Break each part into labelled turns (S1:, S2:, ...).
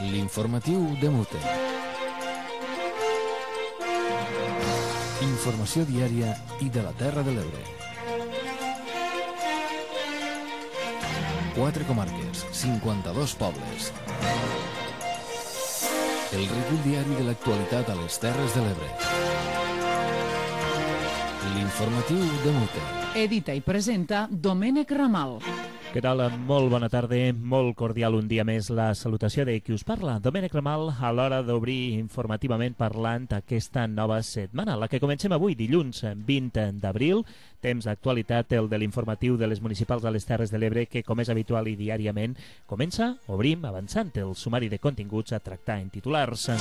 S1: L'informatiu de Mute. Informació diària i de la Terra de l'Ebre. 4 comarques, 52 pobles. El recull diari de l'actualitat a les Terres de l'Ebre. L'informatiu de Mute.
S2: Edita i presenta Domènec Ramal.
S3: Què tal? Molt bona tarda, molt cordial un dia més la salutació de qui us parla, Domènec Ramal, a l'hora d'obrir informativament parlant aquesta nova setmana, la que comencem avui, dilluns 20 d'abril, temps d'actualitat, el de l'informatiu de les municipals de les Terres de l'Ebre, que com és habitual i diàriament comença, obrim, avançant el sumari de continguts a tractar en titulars.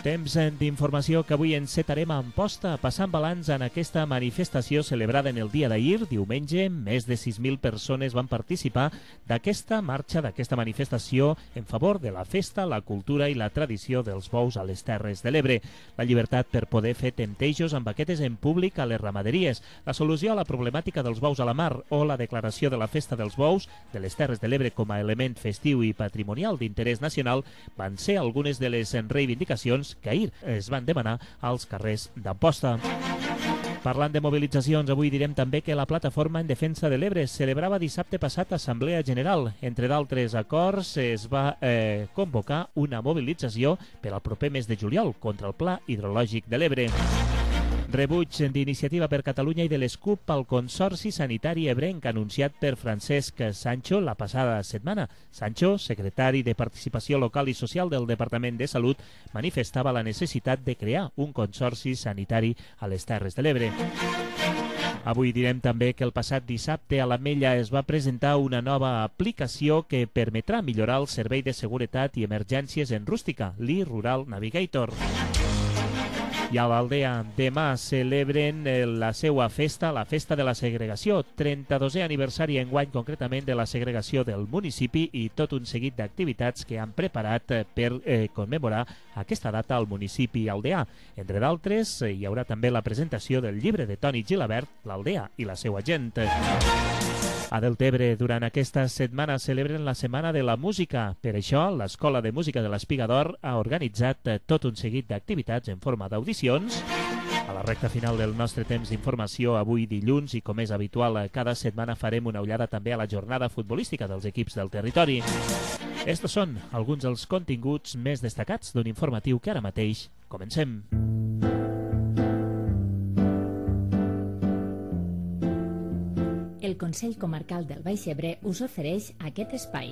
S3: Temps d'informació que avui encetarem a Amposta, passant balanç en aquesta manifestació celebrada en el dia d'ahir, diumenge. Més de 6.000 persones van participar d'aquesta marxa, d'aquesta manifestació en favor de la festa, la cultura i la tradició dels bous a les Terres de l'Ebre. La llibertat per poder fer temptejos amb vaquetes en públic a les ramaderies, la solució a la problemàtica dels bous a la mar o la declaració de la festa dels bous de les Terres de l'Ebre com a element festiu i patrimonial d'interès nacional van ser algunes de les reivindicacions que ahir es van demanar als carrers d'Amposta. Parlant de mobilitzacions, avui direm també que la Plataforma en Defensa de l'Ebre celebrava dissabte passat Assemblea General. Entre d'altres acords, es va convocar una mobilització per al proper mes de juliol contra el Pla Hidrològic de l'Ebre. Rebuig d'Iniciativa per Catalunya i de l'ESCUP al Consorci Sanitari Ebrenc anunciat per Francesc Sancho la passada setmana. Sancho, secretari de Participació Local i Social del Departament de Salut, manifestava la necessitat de crear un consorci sanitari a les Terres de l'Ebre. Avui direm també que el passat dissabte a l'Ametlla es va presentar una nova aplicació que permetrà millorar el servei de seguretat i emergències en rústica, l'E-Rural Navigator. I a l'Aldea demà celebren la seva festa, la Festa de la Segregació, 32è aniversari enguany concretament de la segregació del municipi i tot un seguit d'activitats que han preparat per commemorar aquesta data al municipi aldeà. Entre d'altres, hi haurà també la presentació del llibre de Toni Gilabert, l'Aldea i la seva gent. A Deltebre, durant aquesta setmana, celebren la Setmana de la Música. Per això, l'Escola de Música de l'Espiga d'Or ha organitzat tot un seguit d'activitats en forma d'audicions. A la recta final del nostre temps d'informació, avui dilluns, i com és habitual, cada setmana farem una ullada també a la jornada futbolística dels equips del territori. Estos són alguns dels continguts més destacats d'un informatiu que ara mateix comencem.
S4: El Consell Comarcal del Baix Ebre us ofereix aquest espai.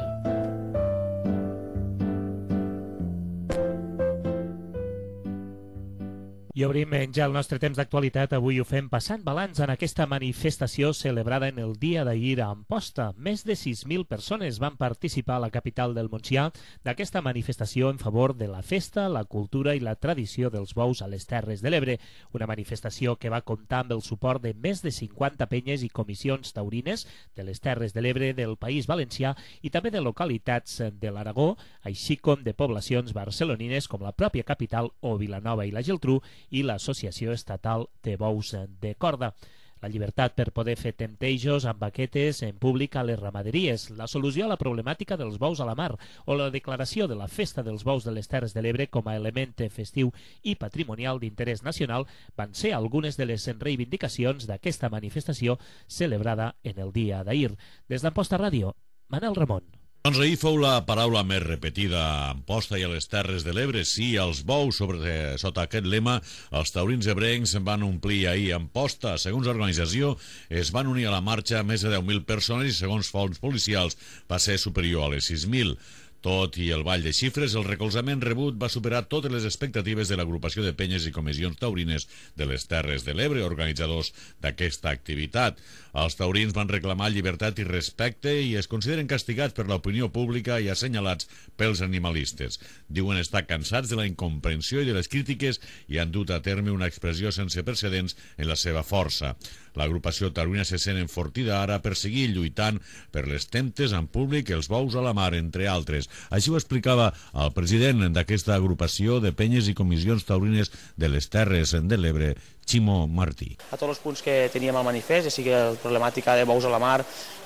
S3: I obrim ja el nostre temps d'actualitat. Avui ho fem passant balanç en aquesta manifestació celebrada en el dia d'ahir a Amposta. Més de 6.000 persones van participar a la capital del Montsià d'aquesta manifestació en favor de la festa, la cultura i la tradició dels bous a les Terres de l'Ebre. Una manifestació que va comptar amb el suport de més de 50 penyes i comissions taurines de les Terres de l'Ebre, del País Valencià i també de localitats de l'Aragó, així com de poblacions barcelonines com la pròpia capital o Vilanova i la Geltrú i l'Associació Estatal de Bous de Corda. La llibertat per poder fer temptejos amb vaquetes en públic a les ramaderies, la solució a la problemàtica dels bous a la mar o la declaració de la festa dels bous de les Terres de l'Ebre com a element festiu i patrimonial d'interès nacional van ser algunes de les reivindicacions d'aquesta manifestació celebrada en el dia d'ahir. Des d'Amposta Ràdio, Manel Ramon.
S5: Doncs ahir fou la paraula més repetida a Amposta i a les Terres de l'Ebre, sí als bous. Sota aquest lema, els taurins ebrencs van omplir ahir Amposta. Segons l'organització, es van unir a la marxa més de 10.000 persones i segons fonts policials va ser superior a les 6.000. Tot i el ball de xifres, el recolzament rebut va superar totes les expectatives de l'agrupació de penyes i comissions taurines de les Terres de l'Ebre, organitzadors d'aquesta activitat. Els taurins van reclamar llibertat i respecte i es consideren castigats per l'opinió pública i assenyalats pels animalistes. Diuen estar cansats de la incomprensió i de les crítiques i han dut a terme una expressió sense precedents en la seva força. L'agrupació taurina se sent enfortida ara per seguir lluitant per les temptes en públic, els bous a la mar, entre altres. Així ho explicava el president d'aquesta agrupació de penyes i comissions taurines de les Terres de l'Ebre, Ximo Martí.
S6: A tots els punts que teníem al manifest, ja sigui la problemàtica de bous a la mar,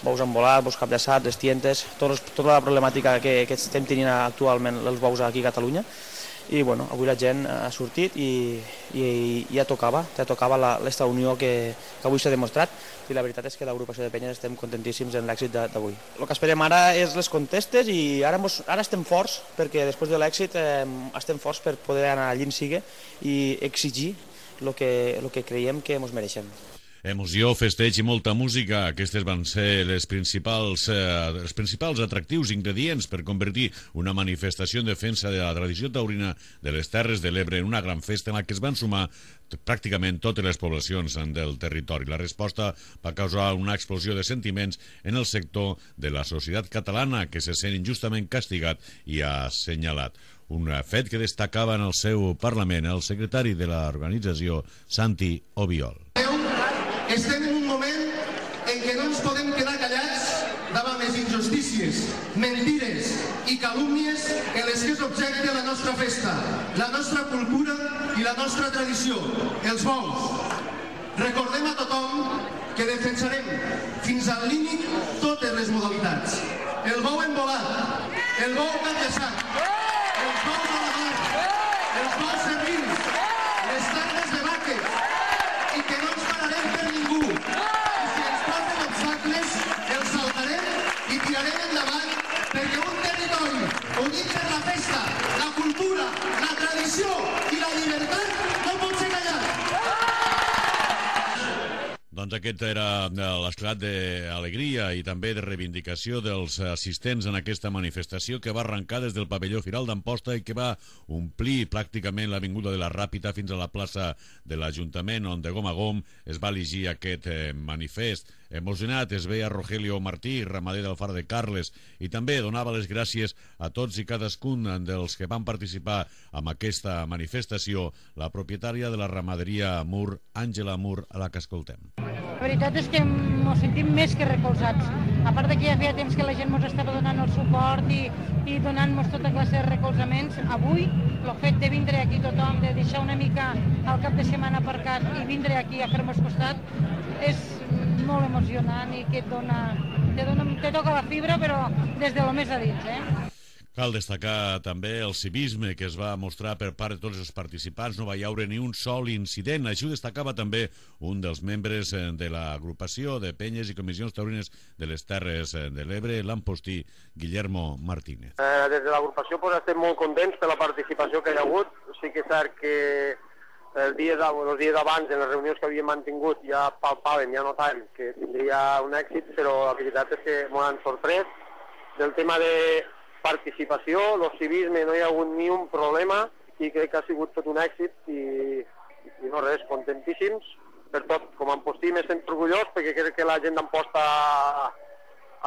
S6: bous embolats, bous capllaçats, les tientes, tota la problemàtica que estem tenint actualment els bous aquí a Catalunya. I bueno, avui la gent ha sortit i ja tocava aquesta unió que avui s'ha demostrat, i la veritat és que l'agrupació de penyes estem contentíssims en l'èxit d'avui. El que esperem ara és les contestes i ara estem forts, perquè després de l'èxit estem forts per poder anar allí on sigui i exigir el que creiem que ens mereixem.
S5: Emoció, festeig i molta música. Aquestes van ser els principals atractius, ingredients per convertir una manifestació en defensa de la tradició taurina de les Terres de l'Ebre en una gran festa en la que es van sumar pràcticament totes les poblacions del territori. La resposta va causar una explosió de sentiments en el sector de la societat catalana, que se sent injustament castigat i assenyalat. Un fet que destacava en el seu Parlament el secretari de l'organització, Santi Obiol.
S7: Estem en un moment en què no ens podem quedar callats davant les injustícies, mentires i calúmnies en les que és objecte la nostra festa, la nostra cultura i la nostra tradició, els bous. Recordem a tothom que defensarem fins al límit totes les modalitats. El bou embolat, el bou capllaçat, els bous a la mar, els bous servils, les tandes de vaques, i que no ens pararem per ningú. I si ens posen obstacles, els saltarem i tirarem endavant, perquè un territori unit per la festa, la cultura, la tradició i la llibertat no pot ser callat.
S5: Doncs aquest era l'esclat d'alegria i també de reivindicació dels assistents en aquesta manifestació que va arrencar des del pavelló Firal d'Amposta i que va omplir pràcticament l'avinguda de la Ràpita fins a la plaça de l'Ajuntament, on de gom a gom es va elegir aquest manifest. Emocionat es veia Rogelio Martí, ramader del Far de Carles, i també donava les gràcies a tots i cadascun dels que van participar en aquesta manifestació, la propietària de la ramaderia Mur, Àngela Mur, a la que escoltem.
S8: La veritat és que ens sentim més que recolzats. A part que ja feia temps que la gent ens estava donant el suport i donant-nos tota classe de recolzaments, avui el fet de vindre aquí tothom, de deixar una mica el cap de setmana aparcat i vindre aquí a fer-nos costat, és molt emocionant i que te toca la fibra, però des de lo més a dins,
S5: Cal destacar també el civisme que es va mostrar per part de tots els participants. No va hi haure ni un sol incident. Així ho destacava també un dels membres de l'agrupació de penyes i comissions taurines de les Terres de l'Ebre, l'Ampostí, Guillermo Martínez.
S9: Des de l'agrupació estem molt contents per la participació que hi ha hagut. Sí que és cert que els dies abans, en les reunions que havíem mantingut, ja palpaven, ja notàvem que tindria un èxit, però la veritat és que m'ho han sorprès. Del tema de participació, el civisme, no hi ha hagut ni un problema i crec que ha sigut tot un èxit i no res, contentíssims per tot. Com a Ampostí me sento orgullós perquè crec que la gent d'Amposta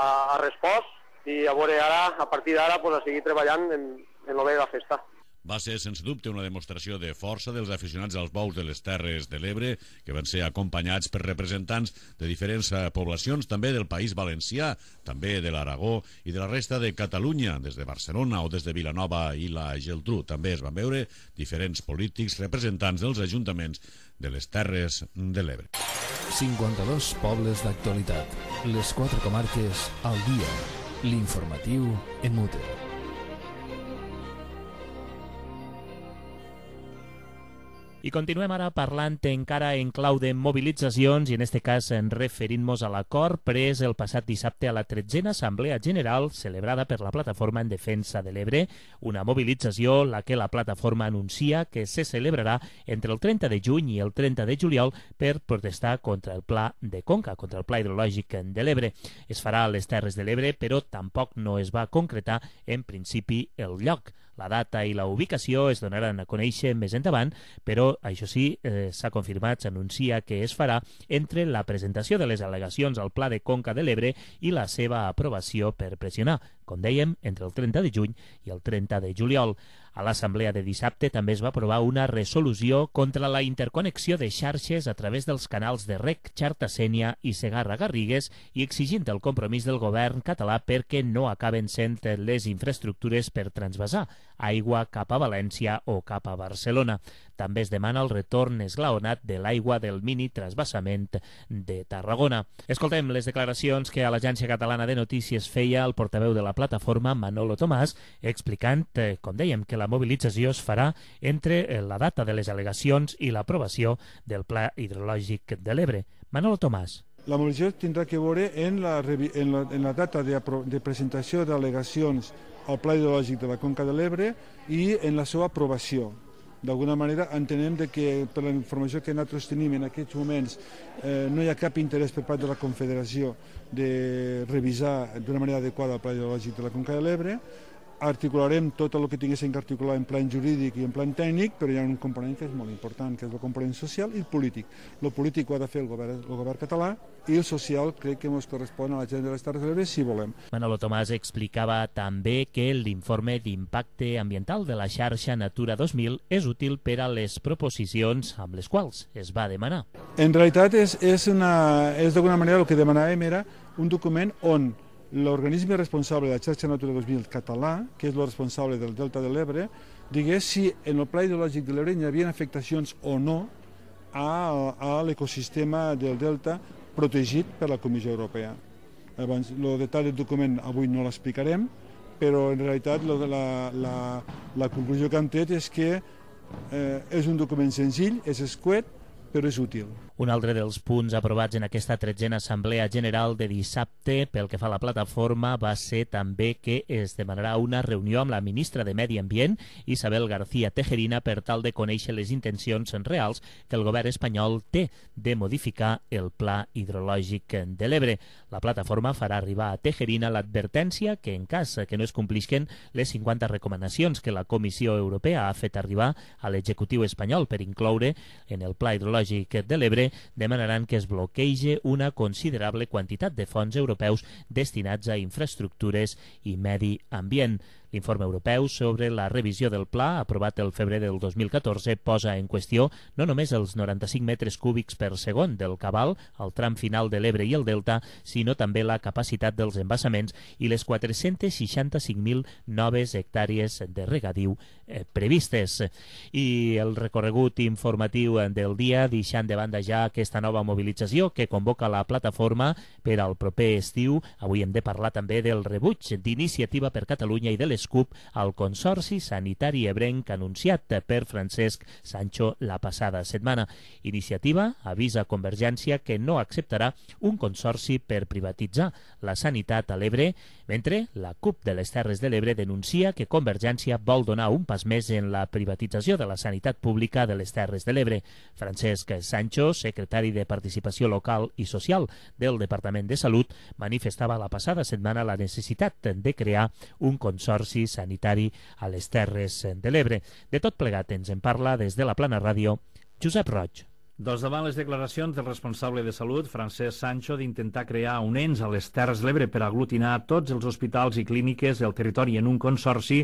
S9: ha respost i a veure ara, a partir d'ara, a seguir treballant en el bé de la festa.
S5: Va ser, sense dubte, una demostració de força dels aficionats als bous de les Terres de l'Ebre, que van ser acompanyats per representants de diferents poblacions, també del País Valencià, també de l'Aragó i de la resta de Catalunya, des de Barcelona o des de Vilanova i la Geltrú. També es van veure diferents polítics representants dels ajuntaments de les Terres de l'Ebre.
S1: 52 pobles d'actualitat. Les 4 comarques al dia. L'informatiu en Mute.
S3: I continuem ara parlant encara en clau de mobilitzacions i en este cas referint-nos a l'acord pres el passat dissabte a la 13a Assemblea General celebrada per la Plataforma en Defensa de l'Ebre, una mobilització la que la plataforma anuncia que se celebrarà entre el 30 de juny i el 30 de juliol per protestar contra el Pla de Conca, contra el Pla Hidrològic de l'Ebre. Es farà a les Terres de l'Ebre, però tampoc no es va concretar en principi el lloc. La data i la ubicació es donaran a conèixer més endavant, però això sí, s'ha confirmat, s'anuncia que es farà entre la presentació de les al·legacions al Pla de Conca de l'Ebre i la seva aprovació per pressionar com dèiem, entre el 30 de juny i el 30 de juliol. A l'assemblea de dissabte també es va aprovar una resolució contra la interconnexió de xarxes a través dels canals de Rec, Xarta-Sénia i Segarra-Garrigues i exigint el compromís del govern català perquè no acaben sent les infraestructures per transvasar aigua cap a València o cap a Barcelona. També es demana el retorn esglaonat de l'aigua del mini transvasament de Tarragona. Escoltem les declaracions que a l'Agència Catalana de Notícies feia el portaveu de la plataforma, Manolo Tomàs, explicant, com dèiem, que la mobilització es farà entre la data de les al·legacions i l'aprovació del Pla Hidrològic de l'Ebre. Manolo Tomàs.
S10: La mobilització tindrà que veure en la data de presentació d'al·legacions al Pla Hidrològic de la Conca de l'Ebre i en la seva aprovació. D'alguna manera entenem que per la informació que nosaltres tenim en aquests moments no hi ha cap interès per part de la Confederació de revisar d'una manera adequada el Pla Hidrològic de la Conca de l'Ebre. Articularem tot el que tinguéssim que articular en plan jurídic i en plan tècnic, però hi ha un component que és molt important, que és el component social i el polític. El polític ho ha de fer el govern català i el social crec que ens correspon a la gent de les Terres de l'Ebre si volem.
S3: Manolo Tomàs explicava també que l'informe d'impacte ambiental de la xarxa Natura 2000 és útil per a les proposicions amb les quals es va demanar.
S10: En realitat és d'alguna manera el que demanàvem era un document on l'organisme responsable de la xarxa Natura 2000 català, que és el responsable del Delta de l'Ebre, digués si en el Pla Hidrològic de l'Ebre hi havia afectacions o no a l'ecosistema del Delta protegit per la Comissió Europea. Llavors, el detall del document avui no l'explicarem, però en realitat la conclusió que hem tret és que és un document senzill, és escuet, però és útil.
S3: Un altre dels punts aprovats en aquesta 13a Assemblea General de dissabte pel que fa a la plataforma va ser també que es demanarà una reunió amb la ministra de Medi Ambient, Isabel García Tejerina, per tal de conèixer les intencions reals que el govern espanyol té de modificar el Pla Hidrològic de l'Ebre. La plataforma farà arribar a Tejerina l'advertència que en cas que no es complisquen les 50 recomanacions que la Comissió Europea ha fet arribar a l'executiu espanyol per incloure en el Pla Hidrològic de l'Ebre, demanaran que es bloquegi una considerable quantitat de fons europeus destinats a infraestructures i medi ambient. L'informe europeu sobre la revisió del pla, aprovat el febrer del 2014, posa en qüestió no només els 95 metres cúbics per segon del cabal al tram final de l'Ebre i el Delta, sinó també la capacitat dels embassaments i les 465.000 noves hectàrees de regadiu previstes. I el recorregut informatiu del dia, deixant de banda ja aquesta nova mobilització que convoca la plataforma per al proper estiu. Avui hem de parlar també del rebuig d'Iniciativa per Catalunya i de l'ESCUP al Consorci Sanitari Ebrenc anunciat per Francesc Sancho la passada setmana. Iniciativa avisa Convergència que no acceptarà un consorci per privatitzar la sanitat a l'Ebre, mentre la CUP de les Terres de l'Ebre denuncia que Convergència vol donar un pas més en la privatització de la sanitat pública de les Terres de l'Ebre. Francesc Sancho, secretari de Participació Local i Social del Departament de Salut, manifestava la passada setmana la necessitat de crear un consorci sanitari a les Terres de l'Ebre. De tot plegat ens en parla des de la Plana Ràdio Josep Roig.
S11: Doncs davant les declaracions del responsable de salut, Francesc Sancho, d'intentar crear un ens a les Terres de l'Ebre per aglutinar tots els hospitals i clíniques del territori en un consorci,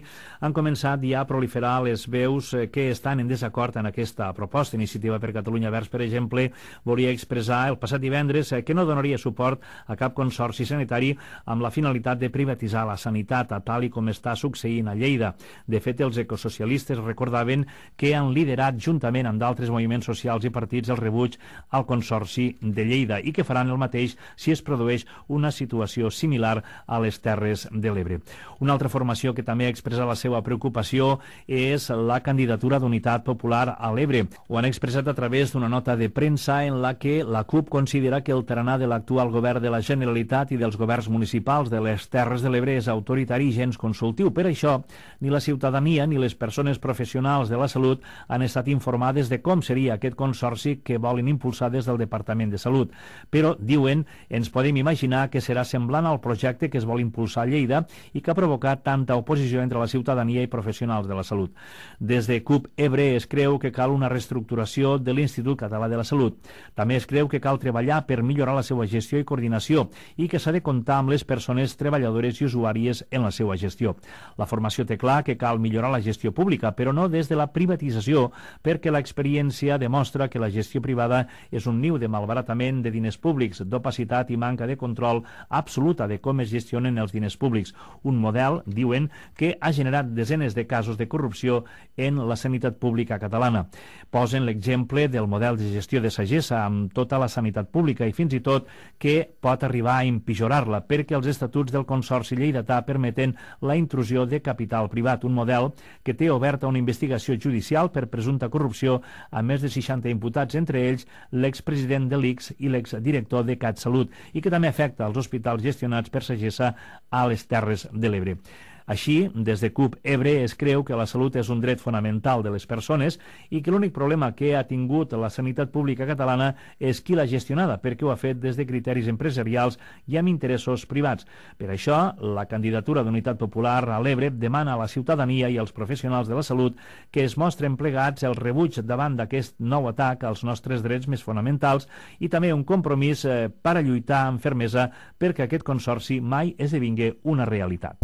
S11: han començat ja a proliferar les veus que estan en desacord en aquesta proposta. Iniciativa per Catalunya Verds, per exemple, volia expressar el passat divendres que no donaria suport a cap consorci sanitari amb la finalitat de privatitzar la sanitat, a tal i com està succeint a Lleida. De fet, els ecosocialistes recordaven que han liderat juntament amb d'altres moviments socials i partits el rebuig al Consorci de Lleida i que faran el mateix si es produeix una situació similar a les Terres de l'Ebre. Una altra formació que també expressa la seva preocupació és la candidatura d'Unitat Popular a l'Ebre. Ho han expressat a través d'una nota de premsa en la que la CUP considera que el tarannà de l'actual govern de la Generalitat i dels governs municipals de les Terres de l'Ebre és autoritari i gens consultiu. Per això, ni la ciutadania ni les persones professionals de la salut han estat informades de com seria aquest consorci tecnològic que volen impulsar des del Departament de Salut. Però, diuen, ens podem imaginar que serà semblant al projecte que es vol impulsar a Lleida i que ha provocat tanta oposició entre la ciutadania i professionals de la salut. Des de CUP Ebre es creu que cal una reestructuració de l'Institut Català de la Salut. També es creu que cal treballar per millorar la seva gestió i coordinació i que s'ha de comptar amb les persones treballadores i usuàries en la seva gestió. La formació té clar que cal millorar la gestió pública, però no des de la privatització, perquè l'experiència demostra que la gestió privada és un niu de malbaratament de diners públics, d'opacitat i manca de control absoluta de com es gestionen els diners públics. Un model, diuen, que ha generat desenes de casos de corrupció en la sanitat pública catalana. Posen l'exemple del model de gestió de Sagessa amb tota la sanitat pública i fins i tot que pot arribar a empitjorar-la perquè els estatuts del Consorci Lleidatà permeten la intrusió de capital privat, un model que té oberta una investigació judicial per presumpta corrupció a més de 60 imputats, entre ells l'expresident de l'ICS i l'exdirector de CatSalut, i que també afecta els hospitals gestionats per Sagessa a les Terres de l'Ebre. Així, des de CUP Ebre es creu que la salut és un dret fonamental de les persones i que l'únic problema que ha tingut la sanitat pública catalana és qui l'ha gestionada, perquè ho ha fet des de criteris empresarials i amb interessos privats. Per això, la candidatura d'Unitat Popular a l'Ebre demana a la ciutadania i als professionals de la salut que es mostren plegats el rebuig davant d'aquest nou atac als nostres drets més fonamentals i també un compromís per a lluitar amb fermesa perquè aquest consorci mai esdevingui una realitat.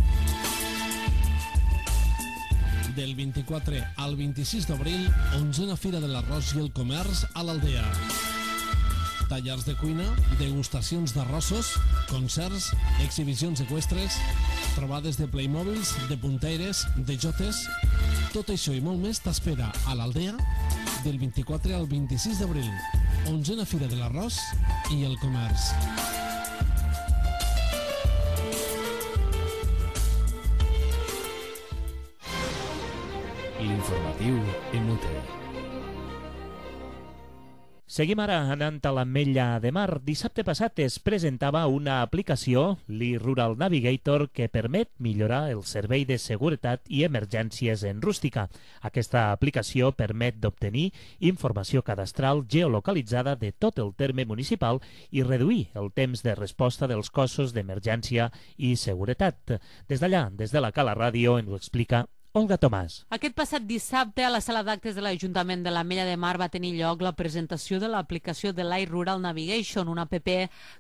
S12: Del 24 al 26 d'abril, 11a Fira de l'Arròs i el Comerç a l'Aldea. Tallers de cuina, degustacions d'arrossos, concerts, exhibicions eqüestres, trobades de Playmobils, de punteires, de jotes... Tot això i molt més t'espera a l'Aldea del 24 al 26 d'abril. 11a Fira de l'Arròs i el Comerç.
S1: L'informatiu MUT.
S3: Seguim ara anant a l'Ametlla de Mar. Dissabte passat es presentava una aplicació, l'e-Rural Navigator, que permet millorar el servei de seguretat i emergències en rústica. Aquesta aplicació permet d'obtenir informació cadastral geolocalitzada de tot el terme municipal i reduir el temps de resposta dels cossos d'emergència i seguretat. Des d'allà, des de la Cala Ràdio, ens ho explica Olga Tomàs.
S13: Aquest passat dissabte a la sala d'actes de l'Ajuntament de l'Ametlla de Mar va tenir lloc la presentació de l'aplicació de l'iRural Navigation, una app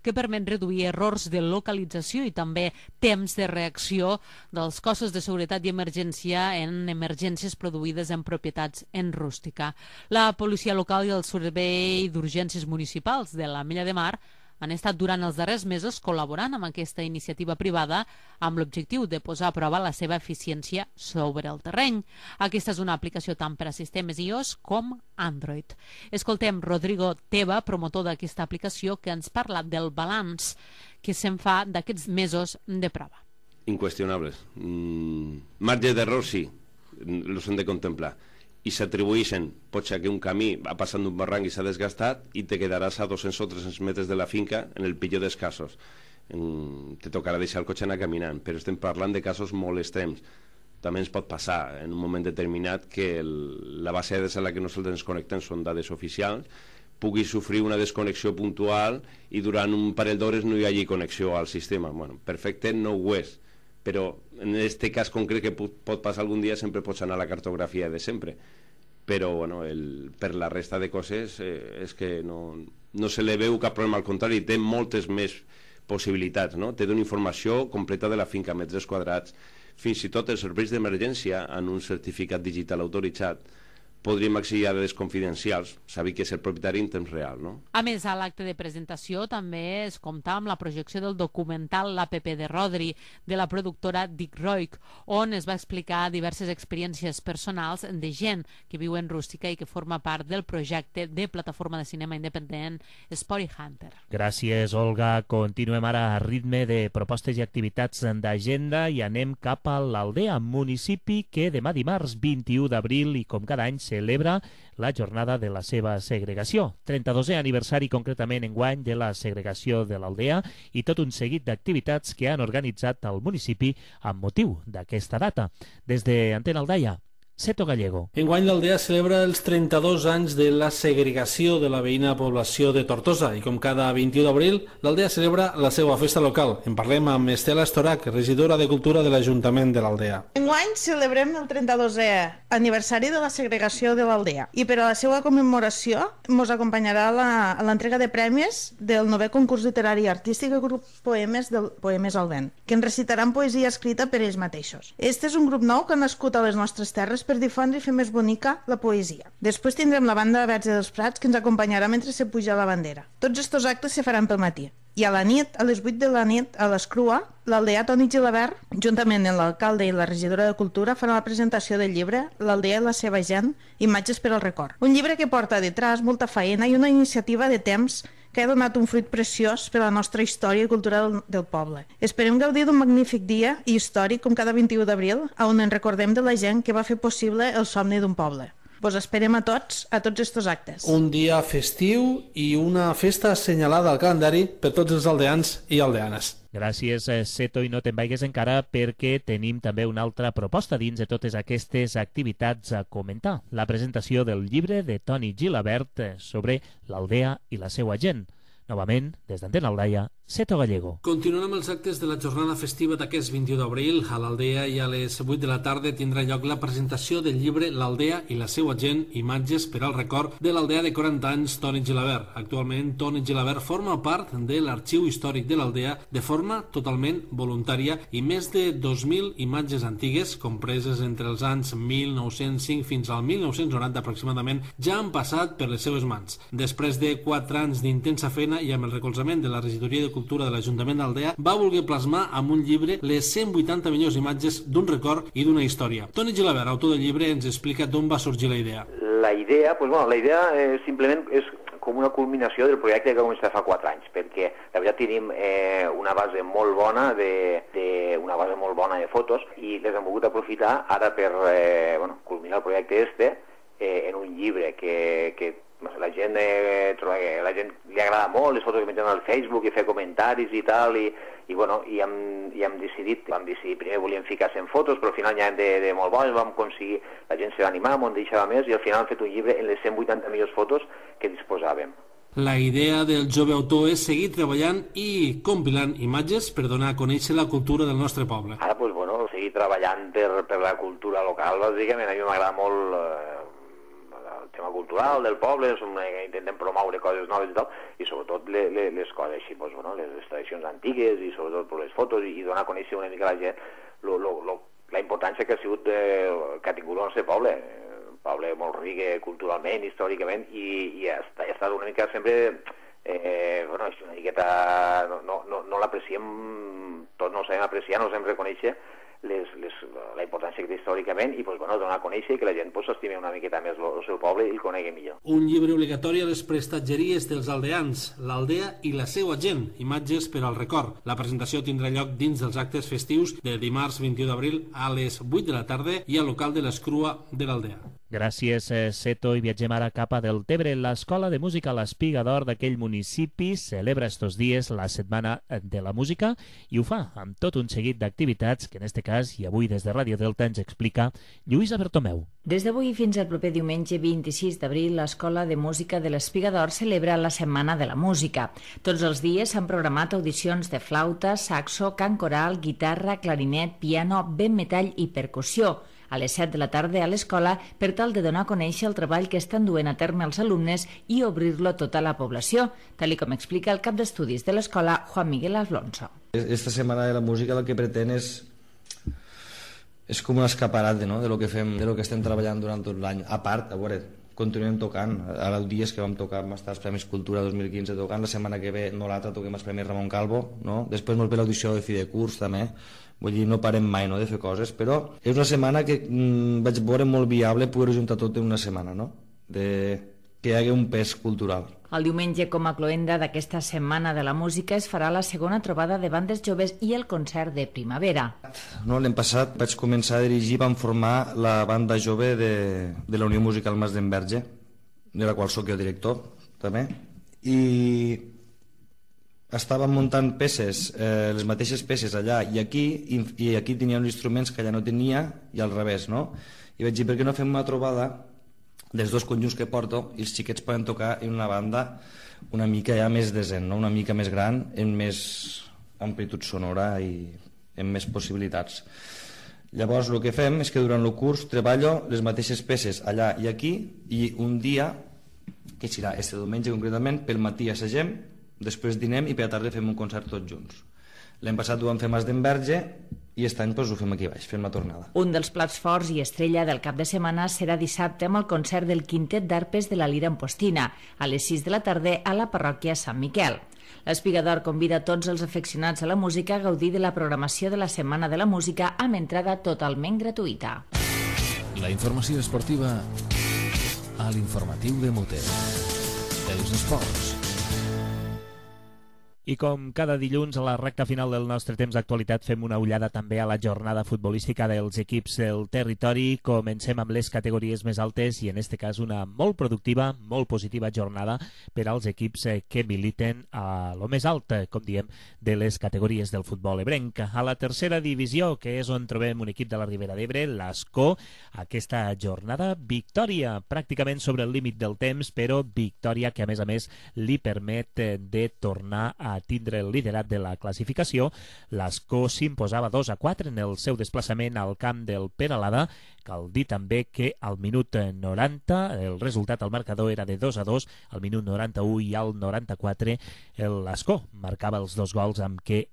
S13: que permet reduir errors de localització i també temps de reacció dels cossos de seguretat i emergència en emergències produïdes en propietats en rústica. La policia local i el servei d'urgències municipals de l'Ametlla de Mar han estat durant els darrers mesos col·laborant amb aquesta iniciativa privada amb l'objectiu de posar a prova la seva eficiència sobre el terreny. Aquesta és una aplicació tant per a sistemes iOS com Android. Escoltem Rodrigo Teba, promotor d'aquesta aplicació, que ens parla del balanç que se'n fa d'aquests mesos de prova.
S14: Inqüestionables. Marge d'error sí, els hem de contemplar. I s'atribueixen, pot ser que un camí va passant d'un barranc i s'ha desgastat i te quedaràs a 200 o 300 metres de la finca en el pitjor dels casos. Te tocarà deixar el cotxe anar caminant, però estem parlant de casos molt extrems. També ens pot passar en un moment determinat que la base de dades a la que nosaltres ens connectem són dades oficials, pugui sofrir una desconnexió puntual i durant un parell d'hores no hi hagi connexió al sistema. Bueno, perfecte no ho és, però en aquest cas concret que pot passar algun dia sempre pots anar a la cartografia de sempre, però bueno, per la resta de coses és que no se li veu cap problema, al contrari, té moltes més possibilitats, no? Té una informació completa de la finca, metres quadrats, fins i tot els serveis d'emergència en un certificat digital autoritzat podríem accedir a dades confidencials, saber que és el propietari en temps real, no?
S13: A més, a l'acte de presentació també es compta amb la projecció del documental L'APP de Rodri, de la productora Dick Roig, on es va explicar diverses experiències personals de gent que viu en rústica i que forma part del projecte de plataforma de cinema independent Spory Hunter.
S3: Gràcies, Olga. Continuem ara a ritme de propostes i activitats d'agenda i anem cap a l'Aldea, municipi que demà dimarts 21 d'abril i com cada any celebra la jornada de la seva segregació. 32è aniversari concretament enguany de la segregació de l'Aldea i tot un seguit d'activitats que han organitzat al municipi amb motiu d'aquesta data. Des de Antena Aldaia, Seto Gallego.
S15: Enguany l'Aldea celebra els 32 anys de la segregació de la veïna població de Tortosa i com cada 21 d'abril l'Aldea celebra la seva festa local. En parlem amb Estela Estorac, regidora de Cultura de l'Ajuntament de l'Aldea.
S16: Enguany celebrem el 32è aniversari de la segregació de l'Aldea i per a la seva commemoració ens acompanyarà a l'entrega de premis del 9è concurs literari i artístic i grup Poemes del Poemes al Vent, que ens recitaran poesia escrita per ells mateixos. Este és un grup nou que ha nascut a les nostres terres per difondre i fer més bonica la poesia. Després tindrem la banda Verge dels Prats que ens acompanyarà mentre se puja la bandera. Tots estos actes se faran pel matí. I a la nit, a les 8 de la nit, a l'Escrua, l'Aldea Toni Gilabert, juntament amb l'alcalde i la regidora de Cultura, farà la presentació del llibre L'Aldea i la seva gent, imatges per al record. Un llibre que porta detrás molta feina i una iniciativa de temps que ha donat un fruit preciós per a la nostra història i cultura del poble. Esperem gaudir d'un magnífic dia històric com cada 21 d'abril, on ens recordem de la gent que va fer possible el somni d'un poble. Vos esperem a tots estos actes.
S15: Un dia festiu i una festa assenyalada al calendari per tots els aldeans i aldeanes.
S3: Gràcies, Seto, i no te'n vagis encara perquè tenim també una altra proposta dins de totes aquestes activitats a comentar. La presentació del llibre de Toni Gilabert sobre l'Aldea i la seva gent. Novament, des d'Antena Aldaia, Seto Gallego.
S15: Continuem amb els actes de la jornada festiva d'aquest 21 d'abril. A l'Aldea i a les 8 de la tarda tindrà lloc la presentació del llibre L'Aldea i la seva gent, imatges per al record de l'Aldea de 40 anys Toni Gilabert. Actualment, Toni Gilabert forma part de l'Arxiu Històric de l'Aldea de forma totalment voluntària i més de 2.000 imatges antigues, compreses entre els anys 1905 fins al 1990 aproximadament, ja han passat per les seves mans. Després de 4 anys d'intensa feina i amb el recolzament de la regidoria de Cultura de l'Ajuntament d'Aldea, va voler plasmar amb un llibre les 180 millors imatges d'un record i d'una història. Toni Gilabert, autor del llibre, ens explica d'on va sorgir la idea.
S17: La idea simplement és com una culminació del projecte que començat fa 4 anys, perquè la veritat tenim una base molt bona de fotos i les hem volgut aprofitar ara per culminar el projecte en un llibre que la gent li agrada molt, les fotos que mengen al Facebook i fer comentaris i tal, i hem decidit, primer volíem ficar 100 fotos, però al final n'hi ha de molt bones, vam aconseguir, la gent se va animar, m'ho deixava més, i al final hem fet un llibre en les 180 millors fotos que disposàvem.
S15: La idea del jove autor és seguir treballant i compilant imatges per donar a conèixer la cultura del nostre poble.
S17: Ara, seguir treballant per la cultura local, bàsicament, a mi m'agrada molt tema cultural del poble, intentem promoure coses noves i tal, i sobretot les coses així, les tradicions antigues i sobretot les fotos i donar a conèixer una mica a la gent la importància que ha sigut que ha tingut el nostre poble, un poble molt ric culturalment, històricament, i ha estat una mica sempre una miqueta no l'apreciem, tots no ho sabem apreciar, no ho sabem reconèixer la importància que té històricament i donar a conèixer i que la gent s'estimi una miqueta més el seu poble i el conegui millor.
S15: Un llibre obligatori a les prestatgeries dels aldeans, l'Aldea i la seva gent, imatges per al record. La presentació tindrà lloc dins dels actes festius de dimarts 21 d'abril a les 8 de la tarda i al local de l'Escrua de l'Aldea.
S3: Gràcies, Seto, i viatgem ara cap a Deltebre. L'Escola de Música L'Espiga d'Or d'aquell municipi celebra estos dies la Setmana de la Música i ho fa amb tot un seguit d'activitats que en este cas, i avui des de Ràdio Delta, ens explica Lluïsa Bertomeu.
S18: Des d'avui fins al proper diumenge 26 d'abril, l'Escola de Música de l'Espiga d'Or celebra la Setmana de la Música. Tots els dies s'han programat audicions de flauta, saxo, cant coral, guitarra, clarinet, piano, vent metall i percussió. A les 7 de la tarda a l'escola per tal de donar a conèixer el treball que estan duent a terme els alumnes i obrir-lo a tota la població, tal com explica el cap d'estudis de l'escola, Juan Miguel Alonso.
S19: Esta Setmana de la Música el que pretén és com un escaparat de lo que fem, de lo que estem treballant durant tot l'any. A part, a veure, continuem tocant. Ara el dies que vam tocar, vam estar als Premis Cultura 2015 tocant, la setmana que ve no l'altra toquem els Premis Ramon Calvo, no? Després ens ve l'audició de fi de curs també, vull dir, no parem mai de fer coses, però és una setmana que vaig veure molt viable poder juntar tot en una setmana, no? Que hi hagi un pes cultural.
S18: El diumenge, com a cloenda d'aquesta Setmana de la Música, es farà la segona trobada de bandes joves i el concert de primavera.
S19: L'any passat vaig començar a dirigir, vam formar la banda jove de la Unió Musical Mas d'Enverge, de la qual soc jo director, també, i estàvem muntant peces, les mateixes peces allà i aquí tenia uns instruments que allà no tenia i al revés, no? I vaig dir, per què no fem una trobada dels dos conjunts que porto i els xiquets poden tocar en una banda una mica ja més decent, no? Una mica més gran, amb més amplitud sonora i amb més possibilitats. Llavors el que fem és que durant el curs treballo les mateixes peces allà i aquí i un dia, que serà este diumenge concretament, pel matí assagem, després dinem i per la tarda fem un concert tots junts. L'any passat ho vam fer a Mas d'Enverge i aquest any ho fem aquí baix, fem la tornada.
S18: Un dels plats forts i estrella del cap de setmana serà dissabte amb el concert del Quintet d'Arpes de la Lira Ampostina, a les 6 de la tarda a la parròquia Sant Miquel. L'Espiga d'Or convida tots els aficionats a la música a gaudir de la programació de la Setmana de la Música amb entrada totalment gratuïta.
S1: La informació esportiva a l'informatiu de Muter. Els esports.
S3: I com cada dilluns a la recta final del nostre temps d'actualitat fem una ullada també a la jornada futbolística dels equips del territori. Comencem amb les categories més altes i en este cas una molt productiva, molt positiva jornada per als equips que militen a lo més alt, com diem, de les categories del futbol ebrenc. A la tercera divisió, que és on trobem un equip de la Ribera d'Ebre, l'Ascó, aquesta jornada victòria pràcticament sobre el límit del temps, però victòria que a més li permet de tornar a tindre el liderat de la classificació. L'Ascó s'imposava 2-4 en el seu desplaçament al camp del Peralada. Cal dir també que al minut 90 el resultat al marcador era de 2-2, al minut 91 i al 94 l'Ascó marcava els dos gols amb què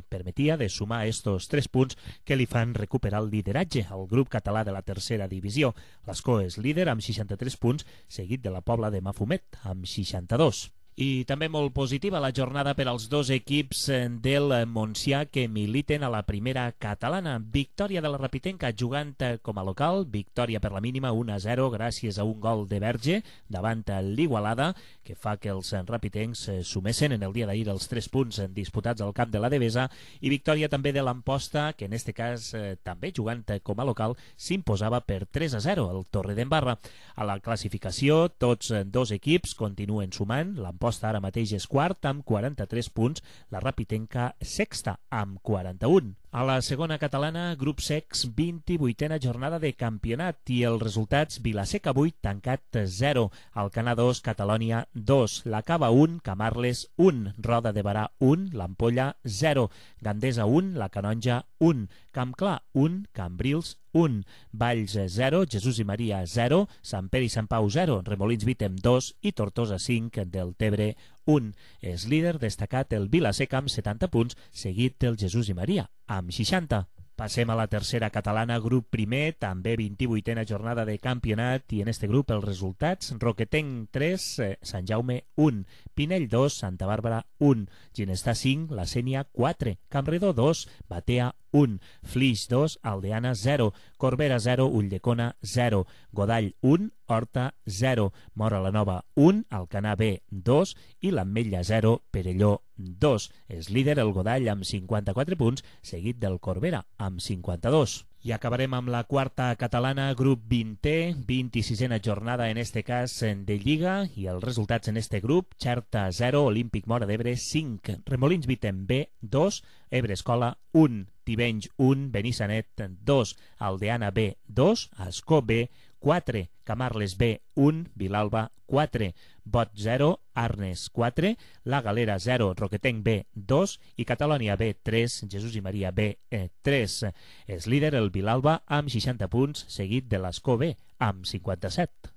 S3: permetia de sumar estos 3 punts que li fan recuperar el lideratge al grup català de la tercera divisió. L'Ascó és líder amb 63 punts, seguit de la Pobla de Mafumet amb 62. I també molt positiva la jornada per als dos equips del Montsià que militen a la primera catalana. Victòria de la Rapitenca jugant com a local, victòria per la mínima 1-0 gràcies a un gol de Verge davant l'Igualada, que fa que els rapitencs sumessin en el dia d'ahir els 3 punts disputats al camp de la Devesa, i victòria també de l'Amposta, que en este cas també jugant com a local s'imposava per 3-0 al Torredembarra. A la classificació tots dos equips continuen sumant. L'Amposta ara mateix és quart amb 43 punts, la Rapitenca sexta amb 41. A la segona catalana, grup secs, 28a jornada de campionat i els resultats: Vilaseca 8, Tancat 0, Alcanar 2, Catalònia 2, La Cava 1, Camarles 1, Roda de Barà 1, l'Ampolla 0, Gandesa 1, la Canonja 1, Campclar 1, Cambrils 1, Valls 0, Jesús i Maria 0, Sant Pere i Sant Pau 0, Remolins Vítem 2 i Tortosa 5, Deltebre 1. És líder destacat el Vilaseca amb 70 punts, seguit del Jesús i Maria amb 60. Passem a la tercera catalana, grup primer, també 28a jornada de campionat, i en este grup els resultats: Roquetenc 3, Sant Jaume 1, Pinell 2, Santa Bàrbara 1, Ginestar 5, La Sénia 4, Campredó 2, Batea 1, Flix 2, Aldeana 0, Corbera 0, Ulldecona 0, Godall 1, Horta 0, Mora la Nova 1, Alcanar B 2 i l'Ametlla 0, Perelló 2. És líder el Godall amb 54 punts, seguit del Corbera amb 52. I acabarem amb la quarta catalana, grup 20è, 26a jornada en este cas de Lliga, i els resultats en este grup: Xerta 0, Olímpic Mora d'Ebre 5, Remolins Vítem B 2, Ebre Escola 1, Tivenys 1, Benissanet 2, Aldeana B 2, Ascó B 4, Camarles B 1, Vilalba 4, Bot 0, Arnes 4, La Galera 0, Roquetenc B 2 i Catalònia B 3, Jesús i Maria B 3. És líder el Vilalba amb 60 punts, seguit de l'Ascó B amb 57.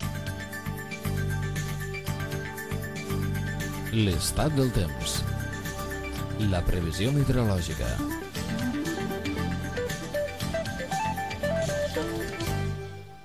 S1: L'estat del temps. La previsió meteorològica.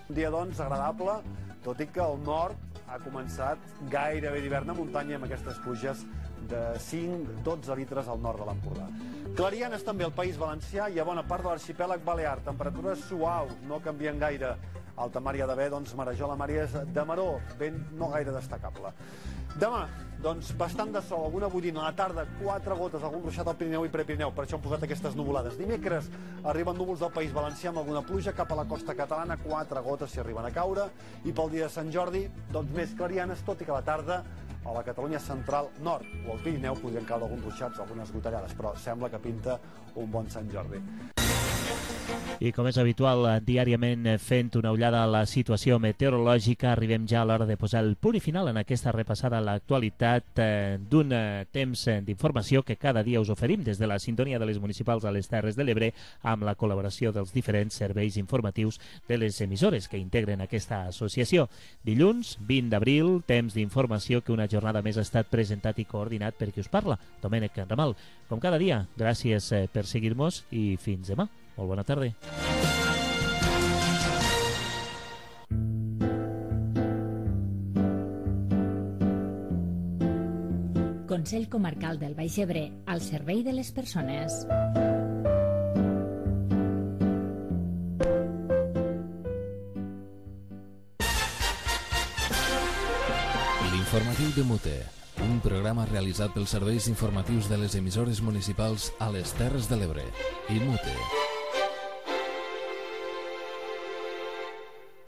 S20: Un dia, doncs, agradable, tot i que el nord ha començat gairebé d'hivern a muntanya amb aquestes pluges de 5-12 litres al nord de l'Empordà. Clarianes també al País Valencià i a bona part de l'arxipèlag balear. Temperatures suaus, no canvien gaire. Alta mar hi ha d'haver, doncs, Marejola, Màries de Maró, vent no gaire destacable. Demà, doncs, bastant de sol, alguna boirina, a la tarda 4 gotes, algun ruixat al Pirineu i Prepirineu, per això han posat aquestes nuvolades. Dimecres arriben núvols del País Valencià amb alguna pluja, cap a la costa catalana 4 gotes si arriben a caure, i pel dia de Sant Jordi, doncs, més clarianes, tot i que a la tarda a la Catalunya central nord o al Pirineu podrien caure alguns ruixats, algunes gotellades, però sembla que pinta un bon Sant Jordi.
S3: I com és habitual, diàriament fent una ullada a la situació meteorològica, arribem ja a l'hora de posar el punt i final en aquesta repassada a l'actualitat d'un temps d'informació que cada dia us oferim des de la sintonia de les municipals a les Terres de l'Ebre amb la col·laboració dels diferents serveis informatius de les emissores que integren aquesta associació. Dilluns, 20 d'abril, temps d'informació que una jornada més ha estat presentat i coordinat per qui us parla, Domènec Ramal. Com cada dia, gràcies per seguir-nos i fins demà. Molt bona tarda.
S4: Consell Comarcal del Baix Ebre, al servei de les persones.
S1: L'informatiu de Mute, un programa realitzat pels serveis informatius de les emissores municipals a les Terres de l'Ebre i Mute.